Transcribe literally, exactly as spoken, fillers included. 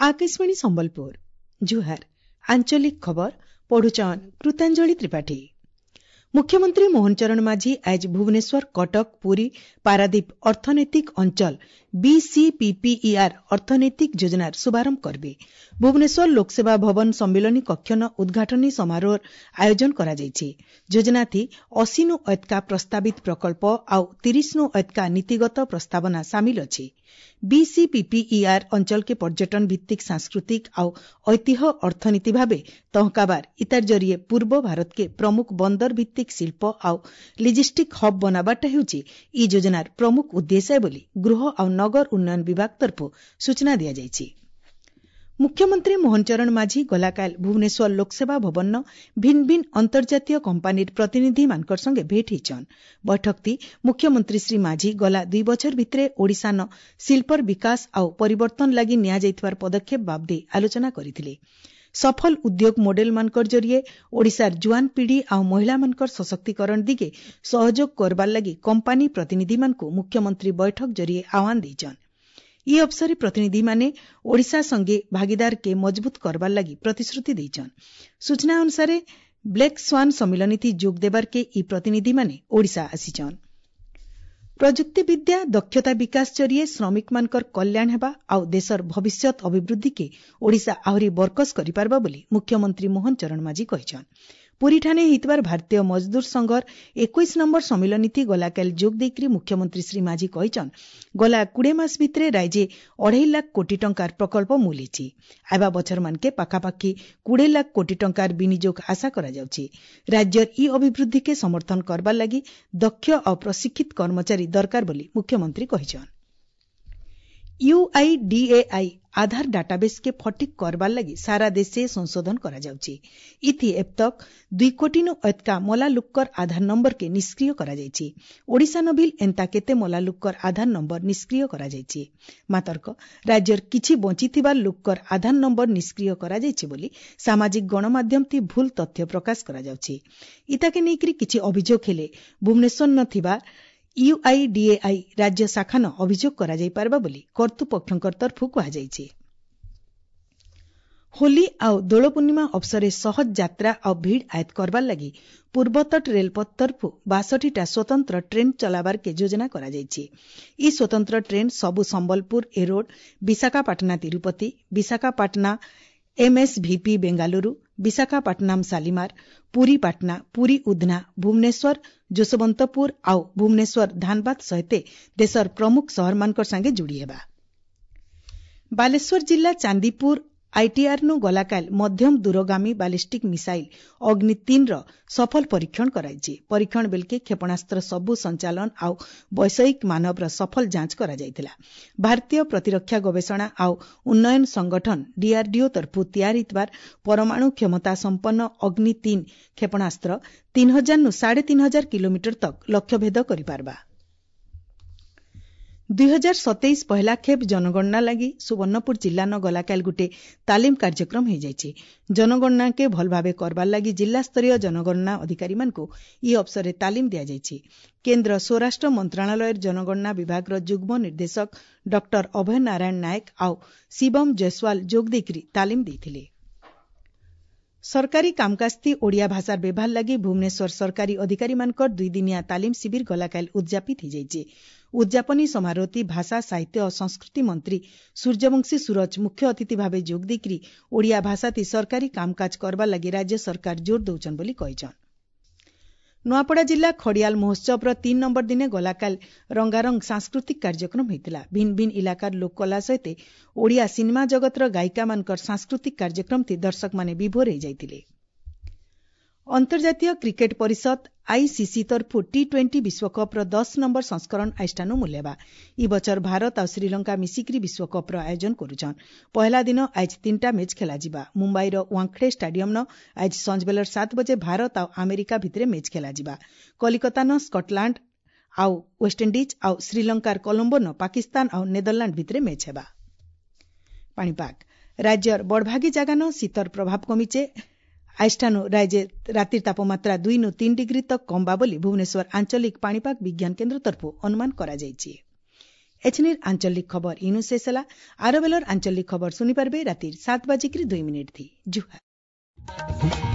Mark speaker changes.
Speaker 1: ଆକାଶବାଣୀ ସମ୍ବଲପୁର ଜୁହାର ଆଞ୍ଚଳିକ ଖବର ପଢୁଛନ୍ କୃତାଞ୍ଜଳି ତ୍ରିପାଠୀ ମୁଖ୍ୟମନ୍ତ୍ରୀ ମୋହନ ଚରଣ ମାଝୀ ଆଜି ଭୁବନେଶ୍ୱର କଟକ ପୁରୀ ପାରାଦୀପ ଅର୍ଥନୈତିକ ଅଞ୍ଚଳ ବିସିପିପିଇଆର୍ ଅର୍ଥନୈତିକ ଯୋଜନାର ଶୁଭାରମ୍ଭ କରିବେ ଭୁବନେଶ୍ୱର ଲୋକସେବା ଭବନ ସମ୍ମିଳନୀ କକ୍ଷନ ଉଦ୍ଘାଟନୀ ସମାରୋହର ଆୟୋଜନ କରାଯାଇଛି ଯୋଜନାଥି ଅଶୀନୁ ଅଏତକା ପ୍ରସ୍ତାବିତ ପ୍ରକଳ୍ପ ଆଉ ତିରିଶନୁ ଅଏତକା ନୀତିଗତ ପ୍ରସ୍ତାବନା ସାମିଲ ଅଛି ବିସିପିପିଇଆର୍ ଅଞ୍ଚଳକେ ପର୍ଯ୍ୟଟନ ଭିତ୍ତିକ ସାଂସ୍କୃତିକ ଆଉ ଐତିହ୍ୟ ଅର୍ଥନୀତି ଭାବେ ତହକାବାର ଇତାର ଜରିଏ ପୂର୍ବ ଭାରତକେ ପ୍ରମୁଖ ବନ୍ଦର ଭିତ୍ତିକ ଶିଳ୍ପ ଆଉ ଲଜିଷ୍ଟିକ୍ ହବ୍ ବନାବାରଟା ହେଉଛି ଇ ଯୋଜନାର ପ୍ରମୁଖ ଉଦ୍ଦେଶ୍ୟ ବୋଲି ଗୃହ ଆଉ ନଗର ଉନ୍ନୟନ ବିଭାଗ ତରଫରୁ ସୂଚନା ଦିଆଯାଇଛି ମୁଖ୍ୟମନ୍ତ୍ରୀ ମୋହନ ଚରଣ ମାଝୀ ଗଲାକାଲ ଭୁବନେଶ୍ୱର ଲୋକସେବା ଭବନର ଭିନ୍ନ ଭିନ୍ନ ଅନ୍ତର୍ଜାତୀୟ କମ୍ପାନୀର ପ୍ରତିନିଧିମାନଙ୍କର ସଙ୍ଗେ ଭେଟ ହେଇଛନ୍ ବୈଠକତି ମୁଖ୍ୟମନ୍ତ୍ରୀ ଶ୍ରୀ ମାଝୀ ଗଲା ଦୁଇ ବଛର ଭିତରେ ଓଡ଼ିଶାନ ଶିଳ୍ପର ବିକାଶ ଆଉ ପରିବର୍ତ୍ତନ ଲାଗି ନିଆଯାଇଥିବାର ପଦକ୍ଷେପ ବାବଦେ ଆଲୋଚନା କରିଥିଲେ ସଫଳ ଉଦ୍ୟୋଗ ମଡେଲମାନଙ୍କର ଜରିଏ ଓଡ଼ିଶାର ଜୁଆନ ପିଢ଼ି ଆଉ ମହିଳାମାନଙ୍କର ସଶକ୍ତିକରଣ ଦିଗେ ସହଯୋଗ କରବାର ଲାଗି କମ୍ପାନୀ ପ୍ରତିନିଧିମାନଙ୍କୁ ମୁଖ୍ୟମନ୍ତ୍ରୀ ବୈଠକ ଜରିଏ ଆହ୍ୱାନ ଦେଇଛନ୍ ଇ ଅବସରେ ପ୍ରତିନିଧିମାନେ ଓଡ଼ିଶା ସଙ୍ଗେ ଭାଗିଦାରକେ ମଜବୁତ କରବାର ଲାଗି ପ୍ରତିଶ୍ରୁତି ଦେଇଛନ୍ ସୂଚନା ଅନୁସାରେ ବ୍ଲାକ୍ ସ୍ୱାନ୍ ସମ୍ମିଳନୀଥି ଯୋଗ ଦେବାରକେ ଇ ପ୍ରତିନିଧିମାନେ ଓଡ଼ିଶା ଆସିଛନ୍ ପ୍ରଯୁକ୍ତିବିଦ୍ୟା ଦକ୍ଷତା ବିକାଶ ଜରିଏ ଶ୍ରମିକମାନଙ୍କର କଲ୍ୟାଣ ହେବା ଆଉ ଦେଶର ଭବିଷ୍ୟତ ଅଭିବୃଦ୍ଧିକେ ଓଡ଼ିଶା ଆହୁରି ବରକସ କରିପାରବା ବୋଲି ମୁଖ୍ୟମନ୍ତ୍ରୀ ମୋହନ ଚରଣ ମାଝୀ କହିଛନ୍ ପୁରୀଠାନେ ହେଇଥିବାର ଭାରତୀୟ ମଜଦୁର ସଂଘର ଏକୋଇଶ ନମ୍ବର ସମ୍ମିଳନୀଥି ଗଲାକାଲି ଯୋଗ ଦେଇକରି ମୁଖ୍ୟମନ୍ତ୍ରୀ ଶ୍ରୀ ମାଝୀ କହିଛନ୍ ଗଲା କୁଡ଼େ ମାସ ଭିତରେ ରାଜ୍ୟେ ଅଢ଼େଇ ଲାଖ କୋଟି ଟଙ୍କାର ପ୍ରକଳ୍ପ ମୂଲ ହେଇଛି ଆଇବା ବଛରମାନକେ ପାଖାପାଖି କୁଡ଼େ ଲାଖ କୋଟି ଟଙ୍କାର ବିନିଯୋଗ ଆଶା କରାଯାଉଛି ରାଜ୍ୟର ଇ ଅଭିବୃଦ୍ଧିକେ ସମର୍ଥନ କରବାର ଲାଗି ଦକ୍ଷ ଆଉ ପ୍ରଶିକ୍ଷିତ କର୍ମଚାରୀ ଦରକାର ବୋଲି ମୁଖ୍ୟମନ୍ତ୍ରୀ କହିଛନ୍ ୟୁଆଇଡିଏଆଇ ଆଧାର ଡାଟାବେସ୍କେ ଫଟିକ୍ କରବାର ଲାଗି ସାରା ଦେଶେ ସଂଶୋଧନ କରାଯାଉଛି ଇଥି ଏବତକ ଦୁଇ କୋଟିନୁ ଅଏତକା ମଲା ଲୁକ୍କର ଆଧାର ନମ୍ବରକେ ନିଷ୍କ୍ରିୟ କରାଯାଇଛି ଓଡ଼ିଶାନ ବିଲ୍ ଏନ୍ତା କେତେ ମଲା ଲୁକ୍କର ଆଧାର ନମ୍ବର ନିଷ୍କ୍ରିୟ କରାଯାଇଛି ମାତର୍କ ରାଜ୍ୟର କିଛି ବଞ୍ଚିଥିବା ଲୁକ୍କର ଆଧାର ନମ୍ବର ନିଷ୍କ୍ରିୟ କରାଯାଇଛି ବୋଲି ସାମାଜିକ ଗଣମାଧ୍ୟମଥି ଭୁଲ ତଥ୍ୟ ପ୍ରକାଶ କରାଯାଉଛି ଇତାକେ ନେଇକରି କିଛି ଅଭିଯୋଗ ହେଲେ ଭୁବନେଶ୍ୱର ଥିବା ୟୁଆଇଡିଏଆଇ ରାଜ୍ୟ ଶାଖାନ ଅଭିଯୋଗ କରାଯାଇପାରବା ବୋଲି କର୍ତ୍ତୃପକ୍ଷଙ୍କ ତରଫରୁ କୁହାଯାଇଛି ହୋଲି ଆଉ ଦୋଳ ପୂର୍ଣ୍ଣିମା ଅବସରେ ସହଜ ଯାତ୍ରା ଆଉ ଭିଡ଼ ଆୟତ କରବାର ଲାଗି ପୂର୍ବତଟ ରେଳପଥ ତରଫରୁ ବାଷଠିଟା ସ୍ୱତନ୍ତ୍ର ଟ୍ରେନ୍ ଚଲାବାରକେ ଯୋଜନା କରାଯାଇଛି ଇ ସ୍ୱତନ୍ତ୍ର ଟ୍ରେନ୍ ସବୁ ସମ୍ବଲପୁର ଏରୋଡ ବିଶାଖାପାଟଣା ତିରୁପତି ବିଶାଖାପାଟଣା ଏମ୍ଏସ୍ଭିପି ବେଙ୍ଗାଲୁରୁ ବିଶାଖାପାଟଣାମ ଶାଲିମାର ପୁରୀ ପାଟନା ପୁରୀ ଉଧନା ଭୁବନେଶ୍ୱର ଯଶବନ୍ତପୁର ଆଉ ଭୁବନେଶ୍ୱର ଧାନବାଦ ସହିତ ଦେଶର ପ୍ରମୁଖ ସହରମାନଙ୍କର ସାଙ୍ଗେ ଯୋଡ଼ି ହେବା ବାଲେଶ୍ୱର ଜିଲ୍ଲା ଚାନ୍ଦିପୁର ଆଇଟିଆର୍ନୁ ଗଲାକାଲ ମଧ୍ୟମ ଦୂରଗାମୀ ବାଲିଷ୍ଟିକ୍ ମିସାଇଲ୍ ଅଗ୍ନି ତିନ୍ର ସଫଳ ପରୀକ୍ଷଣ କରାଯାଇଛି ପରୀକ୍ଷଣ ବେଳକେ କ୍ଷେପଣାସ୍ତ୍ର ସବୁ ସଞ୍ଚାଳନ ଆଉ ବୈଷୟିକ ମାନବର ସଫଳ ଯାଞ୍ଚ କରାଯାଇଥିଲା ଭାରତୀୟ ପ୍ରତିରକ୍ଷା ଗବେଷଣା ଆଉ ଉନ୍ନୟନ ସଂଗଠନ ଡିଆରଡିଓ ତରଫରୁ ତିଆରି ହେଇଥିବାର ପରମାଣୁ କ୍ଷମତା ସମ୍ପନ୍ନ ଅଗ୍ନି ତିନ୍ କ୍ଷେପଣାସ୍ତ୍ର ତିନି ହଜାରନୁ ସାଢ଼େ ତିନି ହଜାର କିଲୋମିଟର ତକ୍ ଲକ୍ଷ୍ୟଭେଦ କରିପାରବା ଦୁଇ ହଜାର ସତେଇଶ ପହିଲା ଖେପ୍ ଜନଗଣନା ଲାଗି ସୁବର୍ଣ୍ଣପୁର ଜିଲ୍ଲାନ ଗଲାକାଲି ଗୁଟେ ତାଲିମ କାର୍ଯ୍ୟକ୍ରମ ହେଇଯାଇଛି ଜନଗଣନାକେ ଭଲ ଭାବେ କରବାର ଲାଗି ଜିଲ୍ଲାସ୍ତରୀୟ ଜନଗଣନା ଅଧିକାରୀମାନଙ୍କୁ ଇ ଅବସରରେ ତାଲିମ ଦିଆଯାଇଛି କେନ୍ଦ୍ର ସ୍ୱରାଷ୍ଟ୍ର ମନ୍ତ୍ରଣାଳୟର ଜନଗଣନା ବିଭାଗର ଯୁଗ୍ମ ନିର୍ଦ୍ଦେଶକ ଡକ୍ଟର ଅଭୟ ନାରାୟଣ ନାୟକ ଆଉ ଶିବମ ଜୟସ୍ୱାଲ ଯୋଗ ଦେଇକରି ତାଲିମ ଦେଇଥିଲେ ସରକାରୀ କାମକାଜଥି ଓଡ଼ିଆ ଭାଷାର ବ୍ୟବହାର ଲାଗି ଭୁବନେଶ୍ୱର ସରକାରୀ ଅଧିକାରୀମାନଙ୍କର ଦୁଇଦିନିଆ ତାଲିମ ଶିବିର ଗଲାକାଲି ଉଦ୍ଯାପିତ ହୋଇଯାଇଛି ଉଦ୍ଯାପନୀ ସମାରୋହଟି ଭାଷା ସାହିତ୍ୟ ଓ ସଂସ୍କୃତି ମନ୍ତ୍ରୀ ସୂର୍ଯ୍ୟବଂଶୀ ସୂରଜ ମୁଖ୍ୟ ଅତିଥି ଭାବେ ଯୋଗ ଦେଇକରି ଓଡ଼ିଆ ଭାଷାଥି ସରକାରୀ କାମକାଜ କରବାର ଲାଗି ରାଜ୍ୟ ସରକାର ଜୋର ଦେଉଛନ୍ ବୋଲି କହିଛନ୍ ନୂଆପଡ଼ା ଜିଲ୍ଲା ଖଡ଼ିଆଲ ମହୋତ୍ସବର ତିନି ନମ୍ବର ଦିନେ ଗଲାକାଲି ରଙ୍ଗାରଙ୍ଗ ସାଂସ୍କୃତିକ କାର୍ଯ୍ୟକ୍ରମ ହୋଇଥିଲା ଭିନ୍ନ ଭିନ୍ନ ଇଲାକାର ଲୋକକଳା ସହିତ ଓଡ଼ିଆ ସିନେମା ଜଗତର ଗାୟିକାମାନଙ୍କର ସାଂସ୍କୃତିକ କାର୍ଯ୍ୟକ୍ରମଥି ଦର୍ଶକମାନେ ବିଭୋର ହୋଇଯାଇଥିଲେ ଅନ୍ତର୍ଜାତୀୟ କ୍ରିକେଟ ପରିଷଦ ଆଇସିସି ତରଫରୁ ଟି ଟ୍ୱେଣ୍ଟି ବିଶ୍ୱକପ୍ର ଦଶ ନମ୍ବର ସଂସ୍କରଣ ଆଇଷ୍ଠାନୁ ମୂଲ୍ୟବା ଇ ବଛର ଭାରତ ଆଉ ଶ୍ରୀଲଙ୍କା ମିଶିକରି ବିଶ୍ୱକପ୍ର ଆୟୋଜନ କରୁଛନ୍ ପହିଲା ଦିନ ଆଜି ତିନିଟା ମ୍ୟାଚ୍ ଖେଳାଯିବା ମୁମ୍ବାଇର ୱାଙ୍ଖଡେ ଷ୍ଟାଡିୟମ୍ନ ଆଜି ସଞ୍ଜବେଲର ସାତ ବଜେ ଭାରତ ଆଉ ଆମେରିକା ଭିତରେ ମ୍ୟାଚ୍ ଖେଳାଯିବା କଲିକତାନ ସ୍କଟଲାଣ୍ଡ ଆଉ ୱେଷ୍ଟଇଣ୍ଡିଜ୍ ଆଉ ଶ୍ରୀଲଙ୍କାର କଲମ୍ବୋନ ପାକିସ୍ତାନ ଆଉ ନେଦରଲାଣ୍ଡ ଭିତରେ ମ୍ୟାଚ୍ ହେବା ପାଣିପାଗ ରାଜ୍ୟର ବଡ଼ଭାଗୀ ଜାଗାନ ଶୀତର ପ୍ରଭାବ କମିଛେ ଆଇଷ୍ଠାନୁ ରାଜ୍ୟ ରାତିର ତାପମାତ୍ରା ଦୁଇନୁ ତିନି ଡିଗ୍ରୀ ତକ୍ କମ୍ବା ବୋଲି ଭୁବନେଶ୍ୱର ଆଞ୍ଚଳିକ ପାଣିପାଗ ବିଜ୍ଞାନ କେନ୍ଦ୍ର ତରଫରୁ ଅନୁମାନ କରାଯାଇଛି ଏଛିନିର୍ ଆଞ୍ଚଳିକ ଖବର ଇନୁ ଶେଷ ହେଲା। ଆର ବେଲର ଆଞ୍ଚଳିକ ଖବର ଶୁନି ପାରବେ ରାତିର ସାତ ବାଜିକିରି ଦୁଇ ମିନିଟ୍ ଥି। ଜୁହାର।